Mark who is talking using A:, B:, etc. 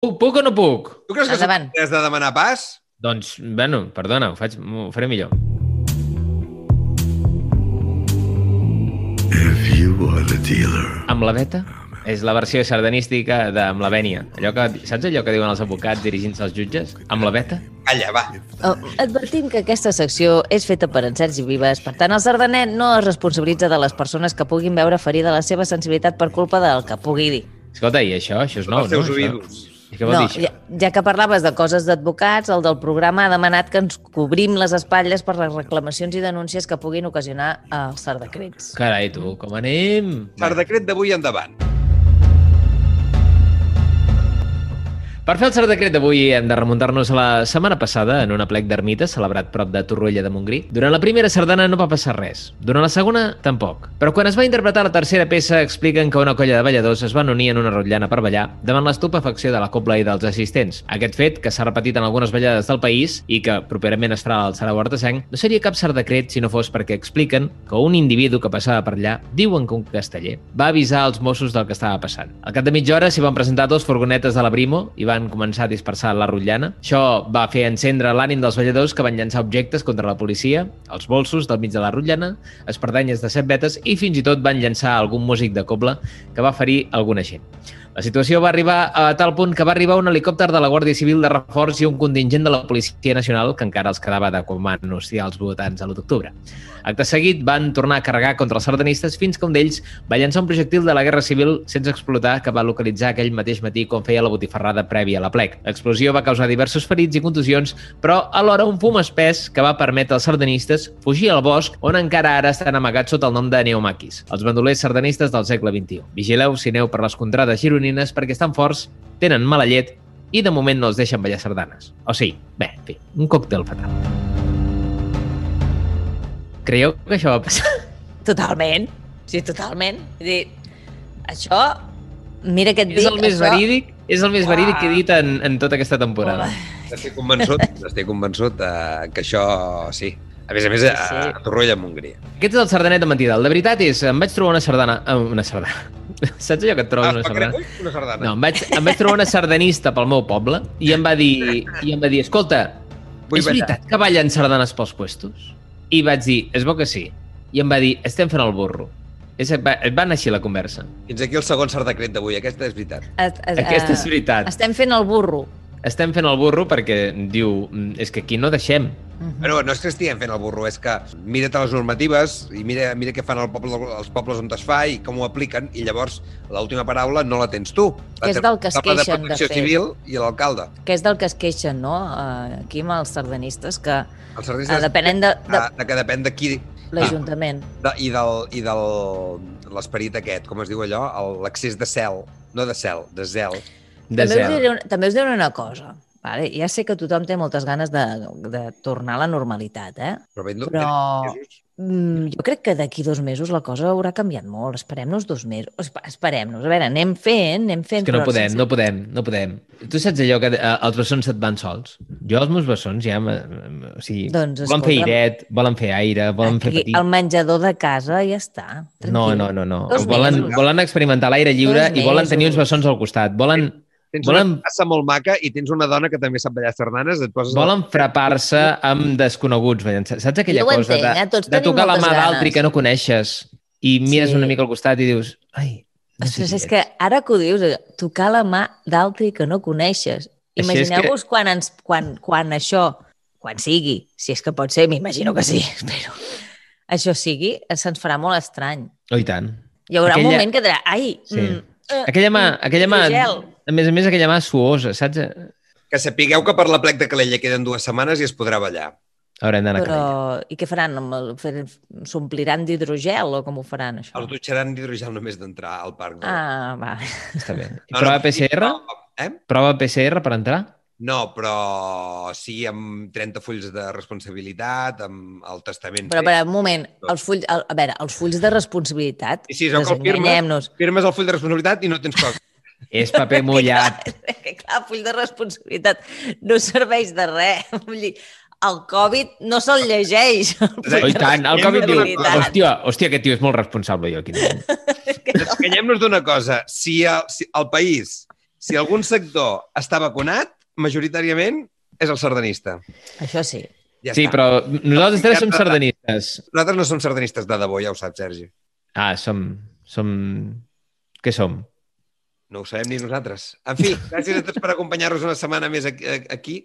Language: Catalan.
A: Puc o no puc?
B: Tu creus que
C: Endavant.
B: has de demanar pas?
A: Doncs, bueno, perdona, ho faré millor.
D: If you are the dealer.
A: Amb la beta? És la versió sardanística de Amb la vènia. Saps allò que diuen els advocats dirigint-se als jutges? Amb la beta?
B: Calla, va.
C: Advertim que aquesta secció és feta per en Sergi Vives. Per tant, el sardanet no es responsabilitza de les persones que puguin veure ferida la seva sensibilitat per culpa del que pugui dir.
A: Escolta, i això és nou,
B: Els teus
A: no?
B: oïdus.
A: I què vol
C: No,
A: dir això?
C: ja que parlaves de coses d'advocats, el del programa ha demanat que ens cobrim les espatlles per les reclamacions i denúncies que puguin ocasionar els sardacrets.
A: Carai, tu, com anem?
B: Per decret d'avui endavant.
A: Per fer el cert decret d'avui hem de remuntar-nos a la setmana passada en un aplec d'ermites celebrat prop de Torroella de Montgrí. Durant la primera sardana no va passar res. Durant la segona, tampoc. Però quan es va interpretar la tercera peça expliquen que una colla de balladors es van unir en una rotllana per ballar davant l'estupefacció de la cobla i dels assistents. Aquest fet, que s'ha repetit en algunes ballades del país i que properament es farà al Sarau Artesenc, no seria cap cert decret si no fos perquè expliquen que un individu que passava per allà, diuen que un casteller, va avisar als Mossos del que estava passant. Al cap de mitja hora s'hi van presentar dos furgonetes de la Brimo i van començar a dispersar la rotllana. Això va fer encendre l'ànim dels balladors que van llançar objectes contra la policia, els bolsos del mig de la rotllana, espardenyes de 7 vetes i fins i tot van llançar algun músic de cobla que va ferir alguna gent. La situació va arribar a tal punt que va arribar un helicòpter de la Guàrdia Civil de reforç i un contingent de la Policia Nacional que encara els quedava de quan van anunciar els votants a l'1 d'octubre. Acte seguit van tornar a carregar contra els sardanistes fins que un d'ells va llançar un projectil de la Guerra Civil sense explotar que va localitzar aquell mateix matí quan feia la botifarrada prèvia a l'aplec. L'explosió va causar diversos ferits i contusions, però alhora un fum espès que va permetre als sardanistes fugir al bosc on encara ara estan amagats sota el nom de neomaquis, els bandolers sardanistes del segle XXI. Vigileu si aneu per les contrades gironines perquè estan forts, tenen mala llet i de moment no els deixen ballar sardanes. O sigui, bé, en fi, un còctel fatal. Creieu que això va passar?
C: Totalment. Sí, totalment. Vull dir, això... Mira què et dic.
A: És el més verídic, és el més verídic que he dit en tota aquesta temporada.
B: Estic convençut que això sí. A més, a Torroella de Montgrí.
A: Aquest és el sardanet de mentida. El de veritat és, em vaig trobar una sardana... Saps allò que et trobes una sardana?
B: Una sardana.
A: No, em vaig trobar una sardanista pel meu poble i em va dir, escolta, és veritat que ballen sardanes pels puestos? I vaig dir, és bo que sí. I em va dir, estem fent el burro. Va anar així la conversa.
B: Fins aquí el segon sardacret d'avui. Aquesta és veritat.
A: Aquesta és veritat.
C: Estem fent el burro.
A: Estem fent el burro perquè diu, és que aquí no deixem.
B: Però no és que estiguem fent el burro, és que mira't les normatives i mira què fan els pobles on es fa i com ho apliquen, i llavors l'última paraula no la tens tu.
C: Que és del que es queixen,
B: de fet. Civil i l'alcalde.
C: Que és del que es queixen, no? Aquí amb els sardanistes, que
B: els sardanistes
C: depenen
B: que depèn de qui...
C: l'Ajuntament.
B: I de l'esperit aquest, com es diu allò? L'accés de cel. No de cel, de zel.
C: També us diré una cosa. Vale? Ja sé que tothom té moltes ganes de tornar a la normalitat, però jo crec que d'aquí 2 mesos la cosa haurà canviat molt. Esperem-nos 2 mesos. Esperem-nos. A veure, anem fent...
A: És que no podem. Tu saps allò que els bessons se't van sols? Jo els meus bessons ja... O sigui,
C: doncs,
A: volen fer airet, volen fer aire, volen fer petit...
C: El menjador de casa ja està. Tranquil.
A: No. Volen experimentar l'aire lliure i volen tenir uns bessons al costat.
B: Tens una passa molt maca i tens una dona que també sap ballar sardanes.
A: Volen frapar-se amb desconeguts. Saps aquella cosa de tocar la mà d'altri que no coneixes i mires una mica al costat i dius...
C: Ostres, és que ara que ho dius, tocar la mà d'altri que no coneixes. Imagineu-vos quan això, quan sigui, si és que pot ser, m'imagino que sí, espero, això sigui, se'ns farà molt estrany.
A: Oh, i tant.
C: Hi haurà un moment que dirà,
A: aquella mà, a més aquella mà suosa, saps?
B: Que sapigueu que per la plec de Calella queden 2 setmanes i es podrà ballar.
A: Haurem d'anar a Calella.
C: I què faran? S'ompliran d'hidrogel o com ho faran, això?
B: Els dutxaran d'hidrogel només d'entrar al parc.
C: Va.
A: Està bé. I prova PCR? Prova PCR per entrar?
B: No, però sí amb 30 fulls de responsabilitat, amb el testament...
C: Però, un moment, els fulls de responsabilitat,
B: sí, firmes el full de responsabilitat i no tens cosa.
A: És paper mullat.
C: Clar, full de responsabilitat no serveix de res. Vull dir, el Covid no se'l llegeix.
A: I tant, el Covid diu, hòstia, aquest tio és molt responsable, jo aquí.
B: Descanyem-nos d'una cosa. Si el país Si algun sector està vacunat, majoritàriament és el sardanista.
C: Això sí.
B: Ja
A: sí,
B: està.
A: però nosaltres tres som sardanistes.
B: Nosaltres no som sardanistes de debò, ja ho saps, Sergi.
A: Ah, som... Què som?
B: No ho sabem ni nosaltres. En fi, gràcies a tots per acompanyar-nos una setmana més aquí.